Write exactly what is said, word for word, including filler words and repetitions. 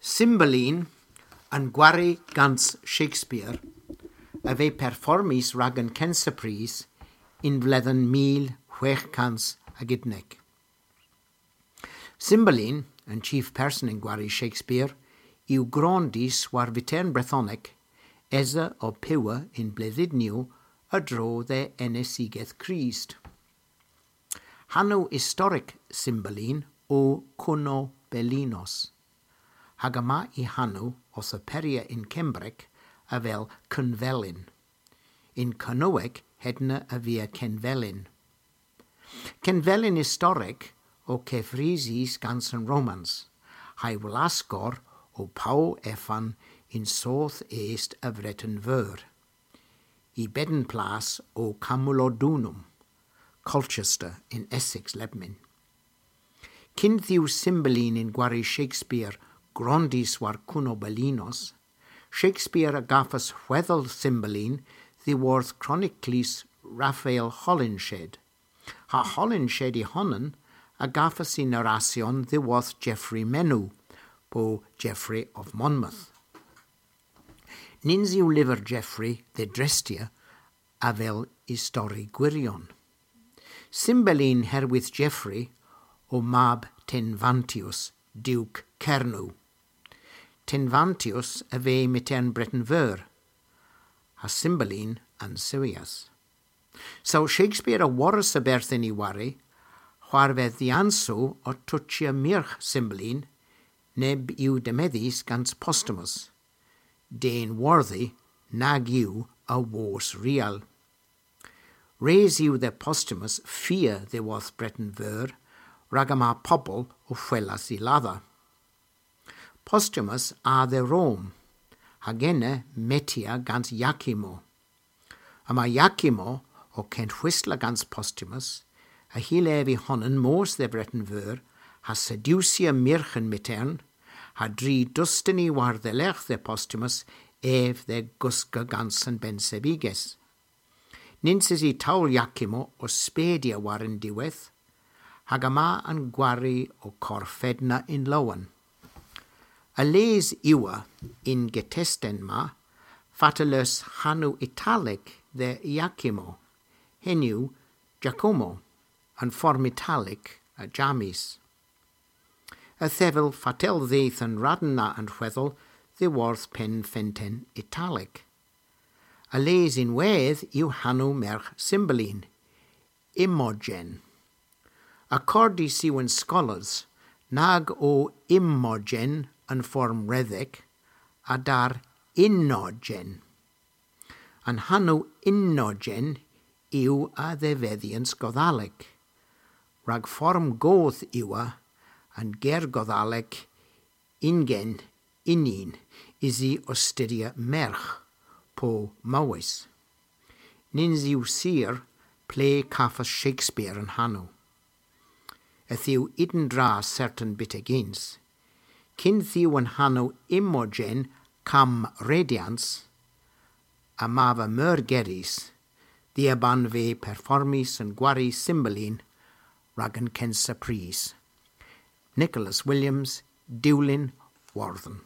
Cymbeline, an gwari gans Shakespeare, a veu performys rag an kynsa prys yn vledhen mil hwegh kans hag unnek. Cymbeline, an chief person yn gwari Shakespeare, yw grondys war vytern Brethonek, esa o piwa yn bledhynyow a-dro dhe enesigeth Krist. Hanow istorek Cymbeline o Kunobelinos, hag yma y hanow owth aperya yn Kembrek avel Kenvelyn. Yn Kernewek hedna a via Kenvelyn. Kenvelyn istorek o keffrysys gans an Romans, ha'y wlaskor o Pow Efan yn soth est a Vreten Veur. Y bedn plas o Camulodunum, Colchester yn Essex lebmyn. Kyn dhyw Cymbeline yn gwari Shakespeare grondys war Kunobelinos, Shakespeare a gavas hwedhel Cymbeline dhyworth kroniklys Raphael Holinshed. Ha Holinshed y honan a gavas y narrasyon dhyworth Geoffrey Menw, po Geoffrey of Monmouth. Nyns yw lyver Geoffrey dhe drestya avel istori gwirion. Cymbeline herwydh Geoffrey o mab Tenfantius, Duke Kernow. Tenfantius a veu mytern Breten Veur, ha Cymbeline an sewyas. So Shakespeare a worras a-berth yn y wari, hwarvedhyansow ow tochya myrgh Cymbeline, neb yw demedhys gans Posthumus. Den wordhi nag yw a wos rial. Res yw dhe Posthumus fia dhyworth Breten Veur, rag yma pobel ow hwelas y ladha. Posthumus a dhe Rom, hag ena metya gans Iachimo. Yma Iachimo ow kenhwysla gans Posthumus, a hyllir ev y honan mos dhe Vreten Veur, ha sediwsya myrgh an mytern, ha dri dustuni war-dhelergh dhe Posthumus ev dhe guska gans an bennsevighes. Nyns esa towl Iachimo ow spedya war an diwedh, hag yma an gwari ow korfedna yn lowen. A les yw ev yn getesten ma, fatel eus hanow Italek dhe Iachimo, henn yw Giacomo, an form Italek a James. A dhevel fatel dheuth an radn na an hwedhel dhyworth penn fenten Italek. A les ynwedh yw hanow mergh Cymbeline, Imogen. Akordys yw an skolars nag o Imogen an form redhek, a dar Inogen. An hanow Inogen yw a dhevedhyans Godhalek, rag form goth yw ev, an ger Godhalek ingen, inin, usi ow studhya mergh, po mowes. Nyns yw sur ple kavas Shakespeare an hanow. Yth yw yntra sertan byttegyns. Kyn dhyw an hanow Imogen kamm redyans, a ma va meur gerys, dhia banva performys an gwari Cymbeline rag an kynsa prys. Nicholas Williams, Dewlin, Wordhen.